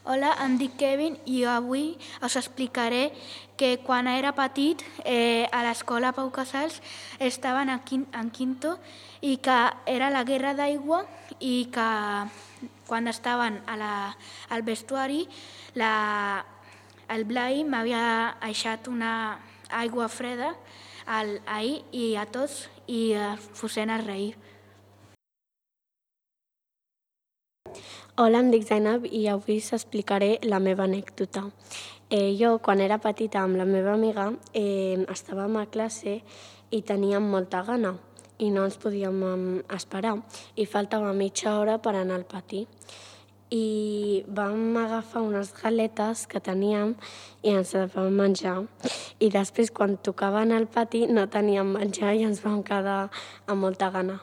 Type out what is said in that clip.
Hola, em dic Kevin i avui us explicaré que quan era petit a l'escola Pau Casals estaven en quinto i que era la guerra d'aigua i que quan estaven al vestuari el Blai m'havia deixat una aigua freda ahir i a tots i posem a reir. Hola, em dic Zainab i avui us explicaré la meva anècdota. Jo, quan era petita amb la meva amiga, estàvem a classe i teníem molta gana i no ens podíem esperar i faltava mitja hora per anar al pati. I vam agafar unes galetes que teníem i ens les vam menjar. I després, quan tocava anar al pati, no teníem menjar i ens vam quedar amb molta gana.